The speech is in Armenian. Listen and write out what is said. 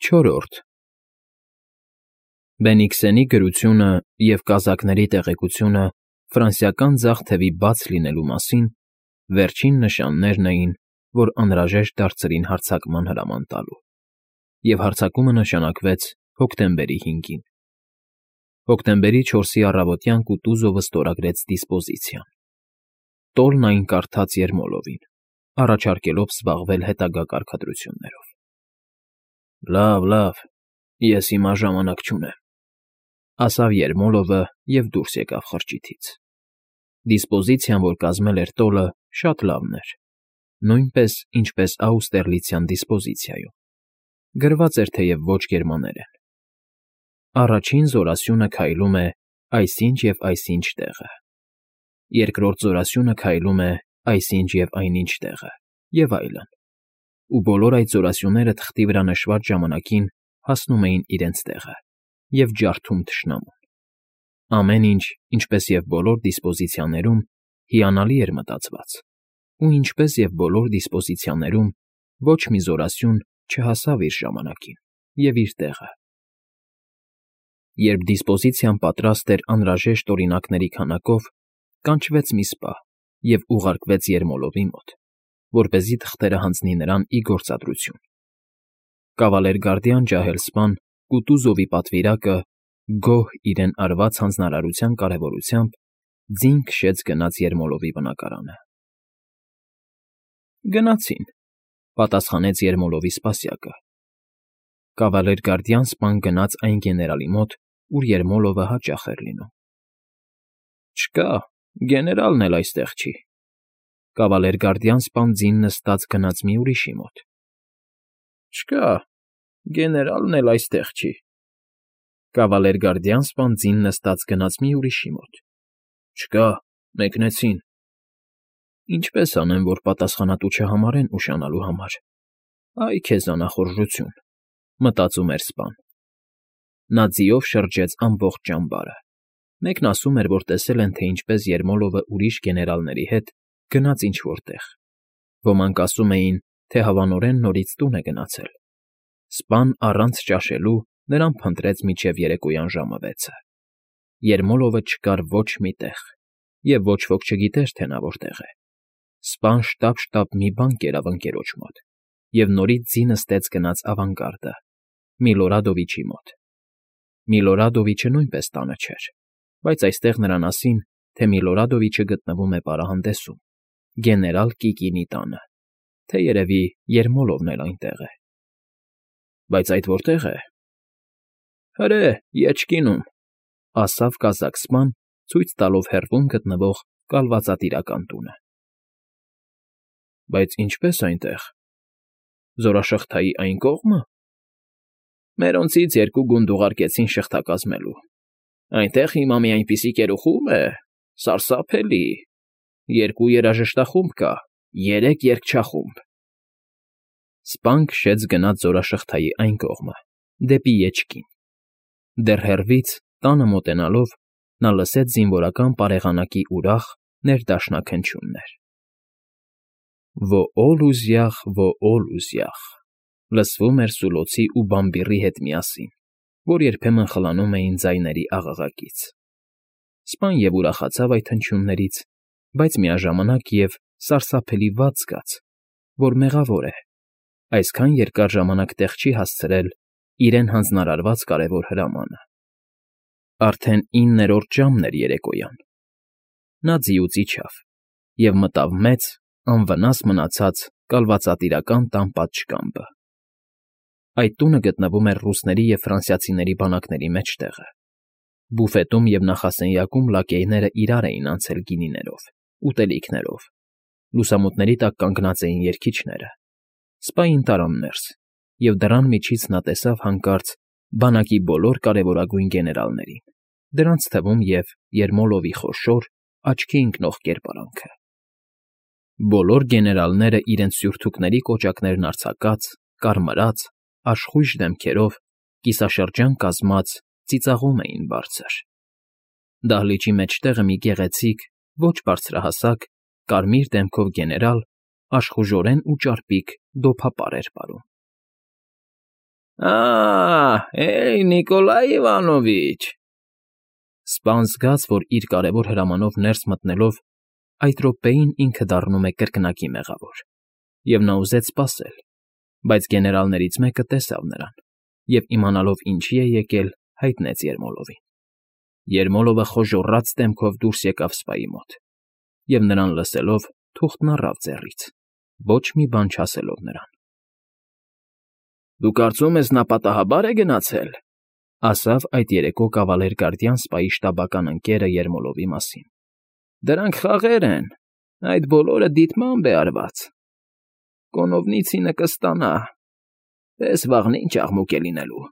Չորրորդ Բենիքսենի գրությունը և կազակների տեղեկությունը ֆրանսիական ձախ թևի բաց լինելու մասին վերջին նշաններն էին, որ անհրաժեշտ դարձրին հարձակման հրաման տալու, և հարձակումը նշանակվեց հոկտեմբերի 5-ին։ Հոկտեմբերի 4-ի առավոտյան Կուտուզովը ստորագրեց դիսպոզիցիան։ Տոլն այն կարդաց Երմոլովին, առաջարկելով զբաղվել հետագա կարգադրություններով։ Լավ, ես հիմա ժամանակ չունեմ, ասավ Երմոլովը և դուրս եկավ խրճիթից։ Դիսպոզիցիան, որ կազմել էր տոլը, շատ լավն էր, նույնպես, ինչպես Աուստերլիցյան դիսպոզիցիայում, գրված էր թեև ոչ գերմաներեն։ Առաջին զորասյունը քայլում է այսինչ և այսինչ տեղը, երկրորդ զորասյունը քայլում է այսինչ և այնինչ տեղը, և այլն, ու բոլոր այդ զորասյունները թղթի վրա նշված ժամանակին հասնում էին իրենց տեղը և ջարդում թշնամուն։ Ամեն ինչ, ինչպես և բոլոր դիսպոզիցիաներում, հիանալի էր մտածված, ու ինչպես և բոլոր դիսպոզիցիաներում, ոչ մի զորասյուն չհասավ իր ժամանակին և իր տեղը։ Երբ դիսպոզիցիան պատրաստ էր անհրաժեշտ օրինակների քանակով, կանչվեց մի սպա և ուղարկվեց Երմոլովի մոտ, որպեսզի թղթերը հանձնի նրան ի գործադրություն։ Կավալերգարդիան ջահել սպան Կուտուզովի պատվիրակը, գոհ իրեն արված հանձնարարության կարևորությամբ, ձին քշեց գնաց Երմոլովի բնակարանը։ Գնացին, պատասխանեց Երմոլովի սպասյակը։ Կավալերգարդիան սպան գնաց այն գեներալի մոտ, ուր Երմոլովը հաճախ էր լինում։ Չկա, գեներալն էլ այստեղ չի։ Կավալերգարդիան սպան ձին նստած գնաց մի ուրիշի մոտ։ Չկա, գեներալն էլ այստեղ չի։ Կավալերգարդիան սպան ձին նստած գնաց մի ուրիշի մոտ։ Չկա, մեկնեցին։ Ինչպես անեմ, որ պատասխանատու չհամարեն ուշանալու համար։ Այ քեզ անախորժություն, մտածում էր սպան։ Նա ձիով շրջեց ամբողջ ճամբարը։ Մեկն ասում էր, որ տեսել են, թե ինչպես Երմոլովը ուրիշ գեներալների հետ գնաց ինչ֊որ տեղ։ Ոմանք ասում էին, թե հավանորեն նորից տուն է գնացել։ Սպան առանց ճաշելու նրան փնտրեց մինչև երեկոյան ժամը 6-ը։ Երմոլովը չկար ոչ մի տեղ, և ոչ ոք չգիտեր, թե նա որտեղ է։ Սպան շտապ մի բան կերավ ընկերոջ մոտ և նորից ձի նստեց գնաց ավանգարդը, Միլորադովիչի մոտ։ Միլորադովիչը նույնպես տանը չէր, բայց այստեղ նրան ասին, թե Միլորադովիչը գտնվում է պարահանդեսում, գեներալ Կիկինի տանը, թե երևի Երմոլովն էլ այնտեղ է։ Բայց այդ որտե՞ղ է։ Հրե, Եչկինում, ասավ կազակ սպան, ցույց տալով հեռվում գտնվող կալվածատիրական տունը։ Բայց ինչպե՞ս այնտեղ։ Զորաշղթայի այն կողմը։ Մերոնցից 2 գունդ ուղարկեցին շղթա կազմելու։ Այնտեղ հիմա մի այնպիսի կերուխում է, սարսափելի։ 2 երաժշտախումբ կա, 3 երգչախումբ։ Սպան քշեց գնաց զորաշղթայի այն կողմը, դեպի Եչկին։ Դեռ հեռվից, տանը մոտենալով, նա լսեց զինվորական պարեղանակի ուրախ, ներդաշնակ հնչյուններ. «Ոօլուզյախ, ոօլուզյախ», լսվում էր Սուլոցի ու Բամբիռի հետ միասին, որ երբեմն խլանում էին ձայների աղաղակից։ Սպան և ուրախացավ այդ հնչյուններից, բայց միաժամանակ և սարսափելի վատ զգաց, որ մեղավոր է, այսքան երկար ժամանակ տեղ չի հասցրել իրեն հանձնարարված կարևոր հրամանը։ Արդեն 9-րդ ժամն էր երեկոյան։ Նա ձիուց իջավ և մտավ մեծ, անվնաս մնացած կալվածատիրական տան պատշգամբը։ Այդ տունը գտնվում էր ռուսների և ֆրանսիացիների բանակների մեջտեղը։ Բուֆետում և նախասենյակում լակեյները իրար էին անցել գինիներով, ուտելիքներով։ Լուսամուտների տակ կանգնած էին երգիչները։ Սպային տարան ներս, և դռան միջից նա տեսավ հանկարծ բանակի բոլոր կարևորագույն գեներալներին, դրանց թվում և Երմոլովի խոշոր, աչքի ընկնող կերպարանքը։ Բոլոր գեներալները իրենց սյուրթուքների կոճակներն արձակած, կարմրած, աշխույժ դեմքերով, կիսաշրջան կազմած, ծիծաղում էին բարձր։ Դահլիճի մեջտեղը մի գեղեցիկ, ոչ բարձրահասակ, կարմիր դեմքով գեներալ աշխուժորեն ու ճարպիկ դոփապար էր պարում։ Էյ, Նիկոլայ Իվանովիչ… Սպան զգաց, որ իր կարևոր հրամանով ներս մտնելով այդ րոպեին ինքը դառնում է կրկնակի մեղավոր, և նա ուզեց սպասել, բայց գեներալներից մեկը տեսավ նրան և, իմանալով ինչի է եկել, հայտնեց Երմոլովին։ Երմոլովը խոժոռաց դեմքով դուրս եկավ սպայի մոտ և, նրան լսելով, թուղթն առավ ձեռից, ոչ մի բան չասելով նրան։ ֊ Դու կարծում ես նա պատահաբա՞ր է գնացել,֊ ասավ այդ երեկո կավալեր֊գարդյան սպայի շտաբական ընկերը Երմոլովի մասին։ ֊ Դրանք խաղեր են, այդ բոլորը դիտմամբ է արված… Կոնովնիցինը կստանա… Տես վաղն ինչ աղմուկ է լինելու։